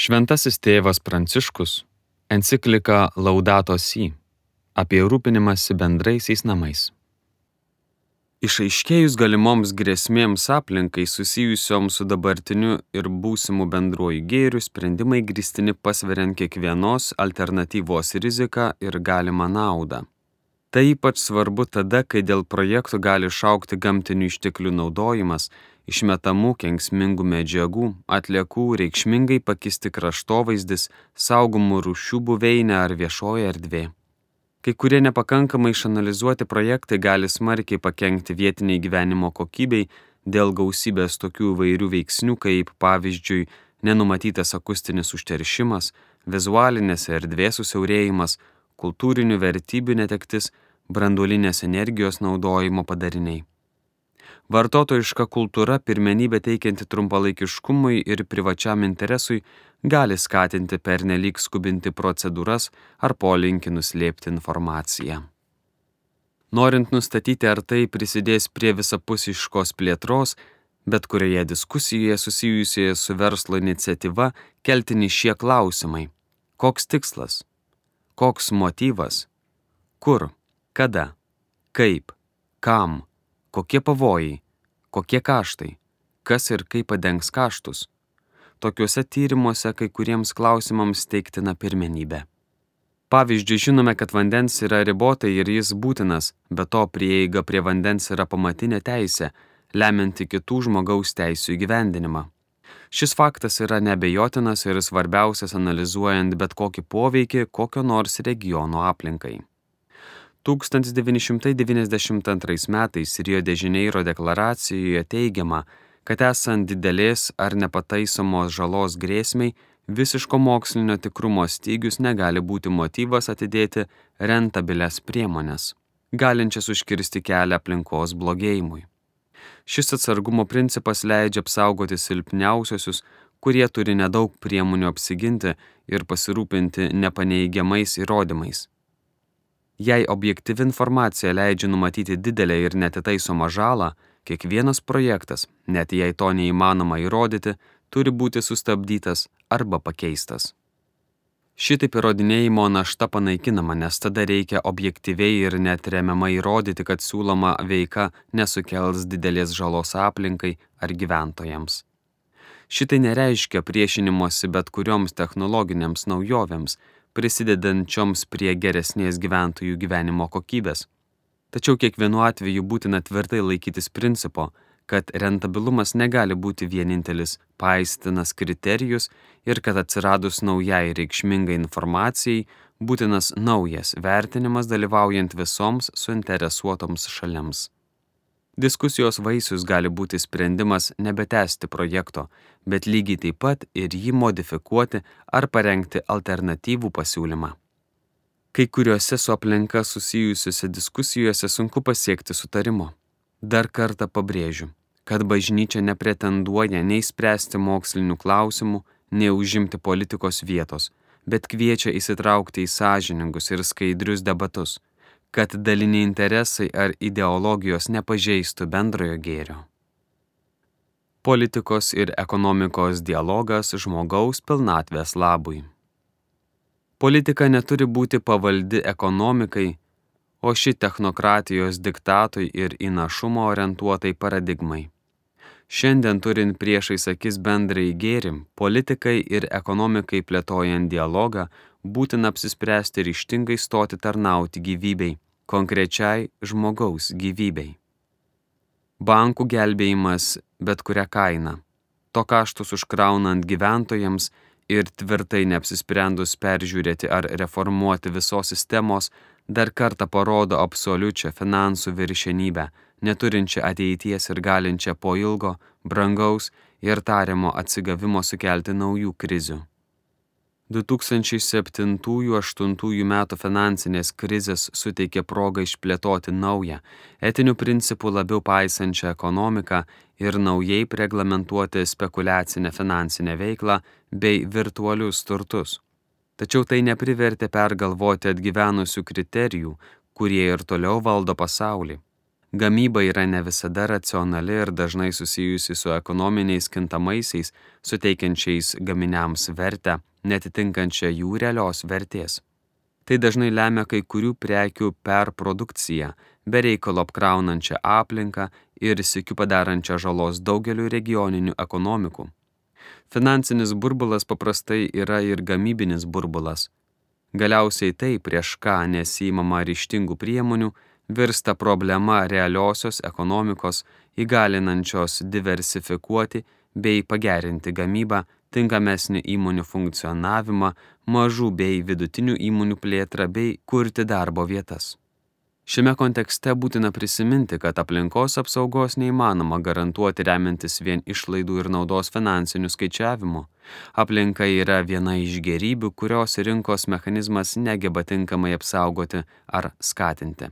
Šventasis tėvas Pranciškus enciklika Laudato Si apie rūpinimąsi bendraisiais namais. Išaiškėjus galimoms grėsmėms aplinkai susijusioms su dabartiniu ir būsimu bendruoju gėriu, sprendimai grįstini pasveriant kiekvienos alternatyvos riziką ir galimą naudą. Tai ypač svarbu tada, kai dėl projektų gali išaugti gamtinių išteklių naudojimas, išmetamų kenksmingų medžiagų, atliekų, reikšmingai pakisti kraštovaizdis, saugomų rūšių buveinė ar viešoji erdvė. Kai kurie nepakankamai išanalizuoti projektai gali smarkiai pakenkti vietiniai gyvenimo kokybei dėl gausybės tokių įvairių veiksnių, kaip pavyzdžiui nenumatytas akustinis užteršimas, vizualinės erdvės susiaurėjimas, kultūrinių vertybių netektis, branduolinės energijos naudojimo padariniai. Vartotojiška kultūra, pirmenybė teikianti trumpalaikiškumui ir privačiam interesui, gali skatinti pernelyg skubinti procedūras ar polinkį nuslėpti informaciją. Norint nustatyti, ar tai prisidės prie visapusiškos plėtros, bet kurioje diskusijoje susijusioje su verslo iniciatyva keltini šie klausimai. Koks tikslas? Koks motyvas? Kur? Kada? Kaip? Kam? Kokie pavojai? Kokie kaštai? Kas ir kaip padengs kaštus? Tokiuose tyrimuose kai kuriems klausimams teiktina pirmenybė. Pavyzdžiui, žinome, kad vandens yra ribotai ir jis būtinas, bet to prieiga prie vandens yra pamatinė teisė, lemianti kitų žmogaus teisių įgyvendinimą. Šis faktas yra neabejotinas ir svarbiausias analizuojant bet kokį poveikį kokio nors regiono aplinkai. 1992 metais Rio de Janeiro deklaracijoje teigiama, kad esant didelės ar nepataisomos žalos grėsmei, visiško mokslinio tikrumo stygius negali būti motyvas atidėti rentabilias priemones, galinčias užkirsti kelią aplinkos blogėjimui. Šis atsargumo principas leidžia apsaugoti silpniausiosius, kurie turi nedaug priemonių apsiginti ir pasirūpinti nepaneigiamais įrodymais. Jei objektyvi informacija leidžia numatyti didelę ir netitaisomą žalą, kiekvienas projektas, net jei to neįmanoma įrodyti, turi būti sustabdytas arba pakeistas. Šitaip įrodinėjimo našta panaikinama, nes tada reikia objektyviai ir neatremiamai įrodyti, kad siūloma veika nesukels didelės žalos aplinkai ar gyventojams. Šitai nereiškia priešinimosi bet kurioms technologinėms naujovėms, prisidedančioms prie geresnės gyventojų gyvenimo kokybės. Tačiau kiekvienu atveju būtina tvirtai laikytis principo, kad rentabilumas negali būti vienintelis paaistinas kriterijus ir kad atsiradus naujai reikšmingai informacijai būtinas naujas vertinimas dalyvaujant visoms suinteresuotoms šalims. Diskusijos vaisius gali būti sprendimas nebetęsti projekto, bet lygiai taip pat ir jį modifikuoti ar parengti alternatyvų pasiūlymą. Kai kuriuose su aplinka susijusiuose diskusijose sunku pasiekti sutarimo. Dar kartą pabrėžiu, kad bažnyčia nepretenduoja nei spręsti mokslinių klausimų, nei užimti politikos vietos, bet kviečia įsitraukti į sąžiningus ir skaidrius debatus, kad daliniai interesai ar ideologijos nepažeistų bendrojo gėrio. Politikos ir ekonomikos dialogas žmogaus pilnatvės labui. Politika neturi būti pavaldi ekonomikai, o ši technokratijos diktatui ir į našumą orientuotai paradigmai. Šiandien turint priešais akis bendrai gėrį, politikai ir ekonomikai plėtojant dialogą, būtina apsispręsti ryžtingai stoti tarnauti gyvybei, konkrečiai žmogaus gyvybei. Bankų gelbėjimas bet kuria kaina, to kaštus užkraunant gyventojams ir tvirtai neapsisprendus peržiūrėti ar reformuoti visos sistemos, dar kartą parodo absoliučią finansų viršenybę, neturinčią ateities ir galinčią po ilgo, brangaus ir tariamo atsigavimo sukelti naujų krizių. 2007–2008 metų finansinės krizės suteikė progą išplėtoti naują, etinių principų labiau paisančią ekonomiką ir naujai reglamentuoti spekuliacinę finansinę veiklą bei virtualius turtus. Tačiau tai neprivertė pergalvoti atgyvenusių kriterijų, kurie ir toliau valdo pasaulį. Gamyba yra ne visada racionali ir dažnai susijusi su ekonominiais kintamaisiais, suteikiančiais gaminiams vertę, netitinkančią jų realios vertės. Tai dažnai lemia kai kurių prekių perprodukciją, be reikalo apkraunančią aplinką ir sykiu padarančią žalos daugeliu regioninių ekonomikų. Finansinis burbulas paprastai yra ir gamybinis burbulas. Galiausiai tai, prieš ką nesiimama ryžtingų priemonių, virsta problema realiosios ekonomikos, įgalinančios diversifikuoti bei pagerinti gamybą, tinkamesnį įmonių funkcionavimą, mažų bei vidutinių įmonių plėtrą bei kurti darbo vietas. Šiame kontekste būtina prisiminti, kad aplinkos apsaugos neįmanoma garantuoti remiantis vien išlaidų ir naudos finansinių skaičiavimų. Aplinka yra viena iš gėrybių, kurios rinkos mechanizmas negeba tinkamai apsaugoti ar skatinti.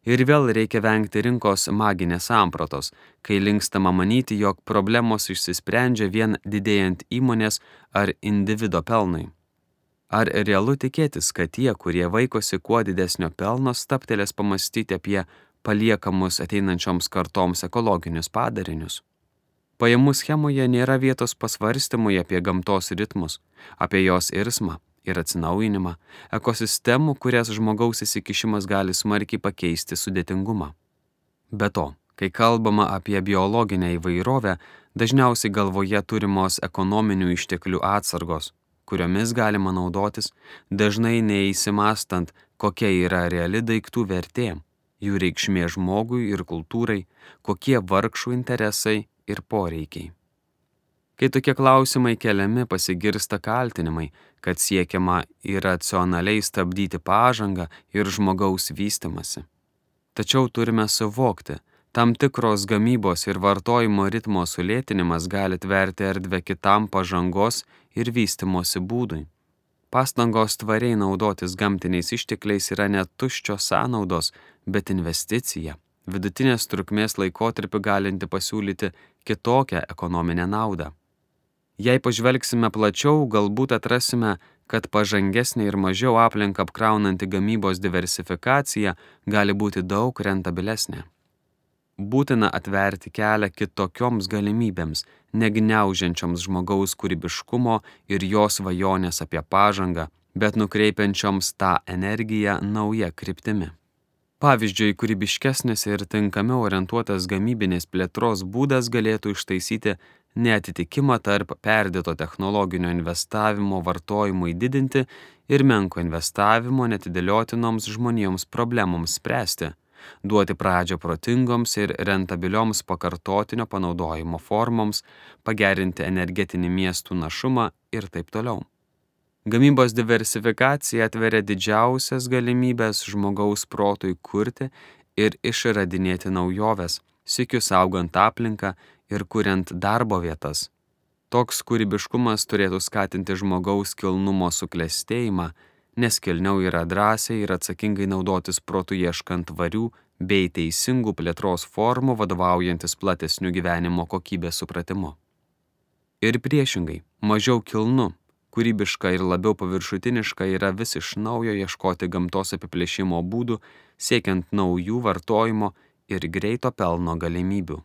Ir vėl reikia vengti rinkos maginės sampratos, kai linkstama manyti, jog problemos išsisprendžia vien didėjant įmonės ar individo pelnui. Ar realu tikėtis, kad tie, kurie vaikosi kuo didesnio pelno, stabtelės pamastyti apie paliekamus ateinančioms kartoms ekologinius padarinius? Pajamų schemoje nėra vietos pasvarstymui apie gamtos ritmus, apie jos irsmą ir atsinaujinimą, ekosistemų, kurias žmogaus įsikišimas gali smarkiai pakeisti sudėtingumą. Be to, kai kalbama apie biologinę įvairovę, dažniausiai galvoje turimos ekonominių išteklių atsargos, kuriomis galima naudotis, dažnai neįsimastant, kokia yra reali daiktų vertė, jų reikšmė žmogui ir kultūrai, kokie vargšų interesai ir poreikiai. Kai tokie klausimai keliami, pasigirsta kaltinimai, kad siekiama iracionaliai stabdyti pažangą ir žmogaus vystymąsi. Tačiau turime suvokti, tam tikros gamybos ir vartojimo ritmo sulėtinimas gali tverti erdvę kitam pažangos ir vystymosi būdui. Pastangos tvariai naudotis gamtiniais ištekliais yra ne tuščios sąnaudos, bet investicija, vidutinės trukmės laikotarpiu galinti pasiūlyti kitokią ekonominę naudą. Jei pažvelgsime plačiau, galbūt atrasime, kad pažangesnė ir mažiau aplinką apkraunanti gamybos diversifikacija gali būti daug rentabilesnė. Būtina atverti kelią kitokioms galimybėms, negniaužiančioms žmogaus kūrybiškumo ir jo svajonės apie pažangą, bet nukreipiančioms tą energiją nauja kryptimi. Pavyzdžiui, kūrybiškesnis ir tinkamiau orientuotas gamybinės plėtros būdas galėtų ištaisyti neatitikimą tarp perdėto technologinio investavimo vartojimui didinti ir menko investavimo netidėliotinoms žmonėms problemoms spręsti, duoti pradžią protingoms ir rentabilioms pakartotinio panaudojimo formoms, pagerinti energetinį miestų našumą ir taip toliau. Gamybos diversifikacija atveria didžiausias galimybės žmogaus protui kurti ir išradinėti naujoves, sykiu saugant aplinką ir kuriant darbo vietas. Toks kūrybiškumas turėtų skatinti žmogaus kilnumo suklestėjimą, nes kilniau yra drąsiai ir atsakingai naudotis protu ieškant tvarių bei teisingų plėtros formų vadovaujantis platesniu gyvenimo kokybės supratimu. Ir priešingai, mažiau kilnu, kūrybiška ir labiau paviršutiniška yra vis iš naujo ieškoti gamtos apiplėšimo būdų, siekiant naujų vartojimo ir greito pelno galimybių.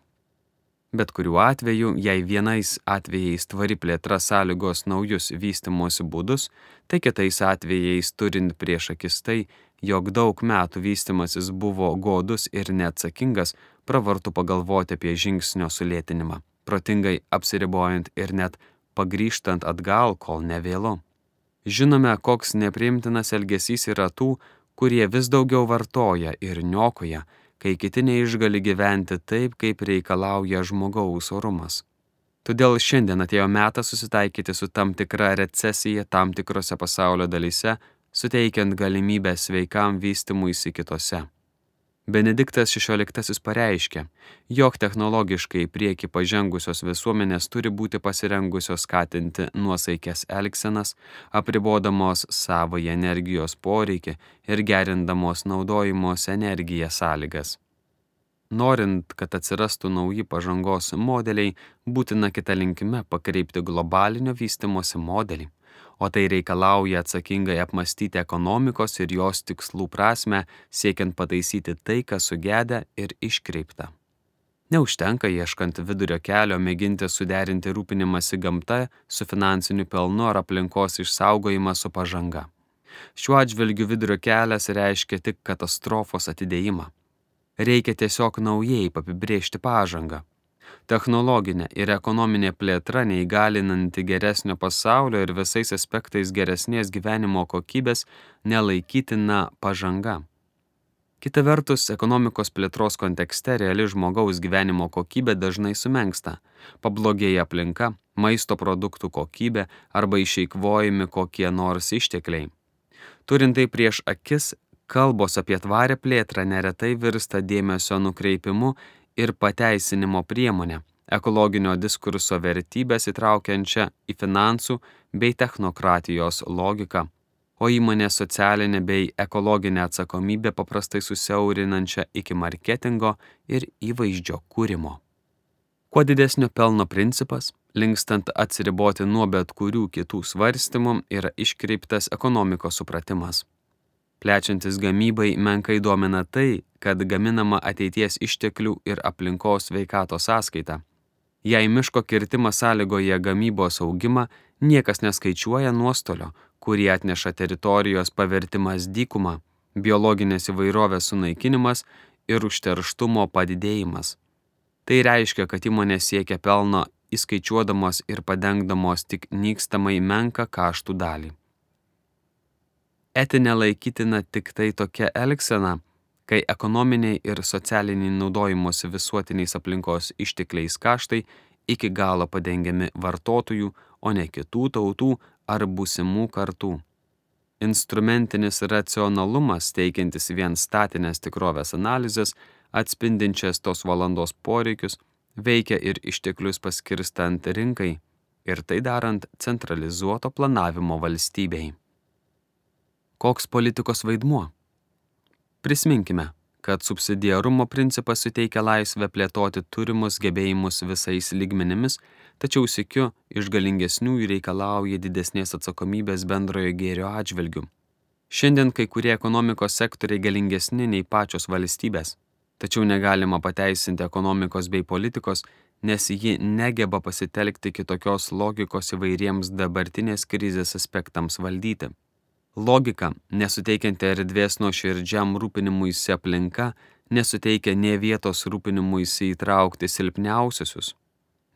Bet kuriuo atveju, jei vienais atvejais tvari plėtra sąlygos naujus vystymosi būdus, tai kitais atvejais turint prieš akis tai, jog daug metų vystymasis buvo godus ir neatsakingas, pravartu pagalvoti apie žingsnio sulėtinimą, protingai apsiribojant ir net pagrįžtant atgal, kol nevėlu. Žinome, koks nepriimtinas elgesys yra tų, kurie vis daugiau vartoja ir niokoja, kai kiti neišgali gyventi taip, kaip reikalauja žmogaus orumas. Todėl šiandien atėjo metas susitaikyti su tam tikra recesija tam tikrose pasaulio dalyse, suteikiant galimybę sveikam vystymuisi kitose. Benediktas XVI pareiškė, jog technologiškai į priekį pažengusios visuomenės turi būti pasirengusios skatinti nuosaikes elgsenas, apribodamos savąjį energijos poreikį ir gerindamos naudojimos energiją sąlygas. Norint, kad atsirastų nauji pažangos modeliai, būtina kita linkme pakreipti globalinio vystimosi modelį, o tai reikalauja atsakingai apmastyti ekonomikos ir jos tikslų prasmę, siekiant pataisyti tai, kas sugedę ir iškreipta. Neužtenka ieškant vidurio kelio mėginti suderinti rūpinimąsi gamta su finansiniu pelnu ar aplinkos išsaugojimą su pažanga. Šiuo atžvilgiu vidurio kelias reiškia tik katastrofos atidėjimą. Reikia tiesiog naujai apibrėžti pažangą. Technologinė ir ekonominė plėtra neįgalinanti geresnio pasaulio ir visais aspektais geresnės gyvenimo kokybės nelaikytina pažanga. Kita vertus, ekonomikos plėtros kontekste reali žmogaus gyvenimo kokybė dažnai sumenksta, pablogėja aplinka, maisto produktų kokybė arba išeikvojami kokie nors ištekliai. Turint tai prieš akis, kalbos apie tvarią plėtrą neretai virsta dėmesio nukreipimu ir pateisinimo priemonė, ekologinio diskurso vertybės įtraukiančią į finansų bei technokratijos logiką, o įmonės socialinę bei ekologinę atsakomybę paprastai susiaurinančią iki marketingo ir įvaizdžio kūrimo. Kuo didesnio pelno principas, linkstant atsiriboti nuo bet kurių kitų svarstymų, yra iškreiptas ekonomikos supratimas. Plečiantis gamybai menkai domina tai, kad gaminama ateities išteklių ir aplinkos sveikatos sąskaita. Jei miško kirtimas sąlygoja gamybos augimą, niekas neskaičiuoja nuostolio, kurį atneša teritorijos pavertimas dykuma, biologinės įvairovės sunaikinimas ir užterštumo padidėjimas. Tai reiškia, kad įmonės siekia pelno įskaičiuodamos ir padengdamos tik nykstamai menką kaštų dalį. Etinė laikytina tik tai tokia elgsena, kai ekonominiai ir socialiniai naudojimosi visuotiniais aplinkos ištekliais kaštai iki galo padengiami vartotojų, o ne kitų tautų ar būsimų kartų. Instrumentinis racionalumas, teikiantis vien statinės tikrovės analizės, atspindinčias tos valandos poreikius, veikia ir išteklius paskirstant rinkai ir tai darant centralizuoto planavimo valstybei. Koks politikos vaidmuo? Prisiminkime, kad subsidiarumo principas suteikia laisvę plėtoti turimus gebėjimus visais lygmenimis, tačiau sykiu iš galingesnių reikalauja didesnės atsakomybės bendrojo gėrio atžvilgių. Šiandien kai kurie ekonomikos sektoriai galingesni nei pačios valstybės, tačiau negalima pateisinti ekonomikos bei politikos, nes ji negeba pasitelkti kitokios logikos įvairiems dabartinės krizės aspektams valdyti. Logika, nesuteikianti erdvės nuoširdžiam rūpinimuisi aplinka, nesuteikia nė vietos rūpinimuisi įtraukti silpniausiusius,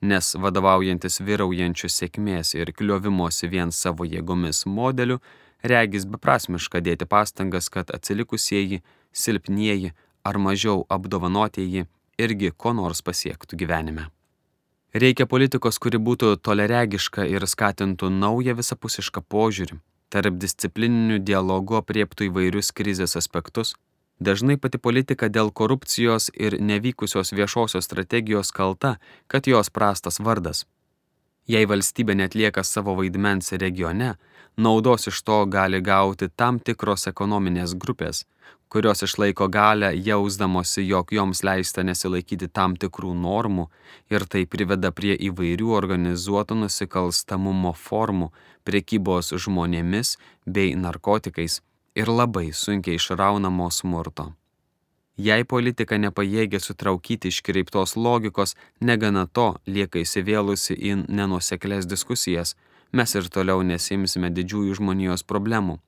nes vadovaujantis vyraujančių sėkmės ir kliovimosi vien savo jėgomis modeliu, regis beprasmiška dėti pastangas, kad atsilikusieji, silpnieji ar mažiau apdovanotieji irgi ko nors pasiektų gyvenime. Reikia politikos, kuri būtų toleregiška ir skatintų naują visapusišką požiūrį, tarp disciplininių dialogų apriektų įvairius krizės aspektus. Dažnai pati politika dėl korupcijos ir nevykusios viešosios strategijos kalta, kad jos prastas vardas. Jei valstybė netlieka savo vaidmens regione, naudos iš to gali gauti tam tikros ekonominės grupės, kurios išlaiko galią jausdamosi, jog joms leista nesilaikyti tam tikrų normų ir tai priveda prie įvairių organizuoto nusikalstamumo formų, prekybos žmonėmis bei narkotikais ir labai sunkiai išraunamo smurto. Jei politika nepajėgia sutraukyti iškreiptos logikos, negana to lieka įsivėlusi į nenuoseklias diskusijas, mes ir toliau nesimsime didžiųjų žmonijos problemų.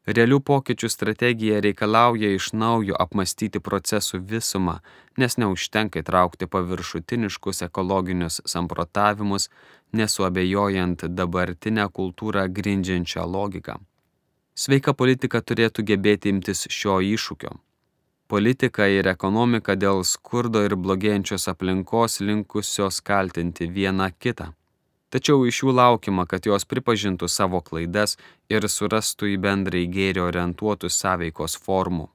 Realių pokyčių strategija reikalauja iš naujo apmastyti procesų visumą, nes neužtenka įtraukti paviršutiniškus ekologinius samprotavimus, nesuabejojant dabartinę kultūrą grindžiančią logiką. Sveika politika turėtų gebėti imtis šio iššūkio. Politika ir ekonomika dėl skurdo ir blogėjančios aplinkos linkusios kaltinti vieną kitą. Tačiau iš jų laukiama, kad jos pripažintų savo klaidas ir surastų į bendrai gėrį orientuotų sąveikos formų.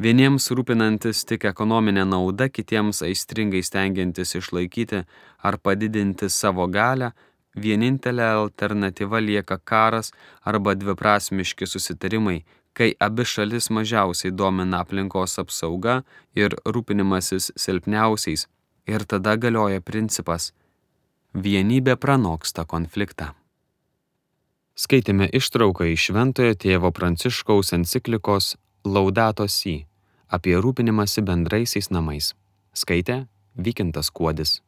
Vieniems rūpinantis tik ekonominė nauda, kitiems aistringai stengiantis išlaikyti ar padidinti savo galią, vienintelė alternatyva lieka karas arba dviprasmiški susitarimai, Kai abi šalis mažiausiai domina aplinkos apsauga ir rūpinimasis silpniausiais, ir tada galioja principas vienybė pranoksta konfliktą. Skaitėme ištrauką iš Šventojo tėvo Pranciškaus enciklikos Laudato Si apie rūpinimąsi bendraisiais namais. Skaitė Vykintas Kuodis.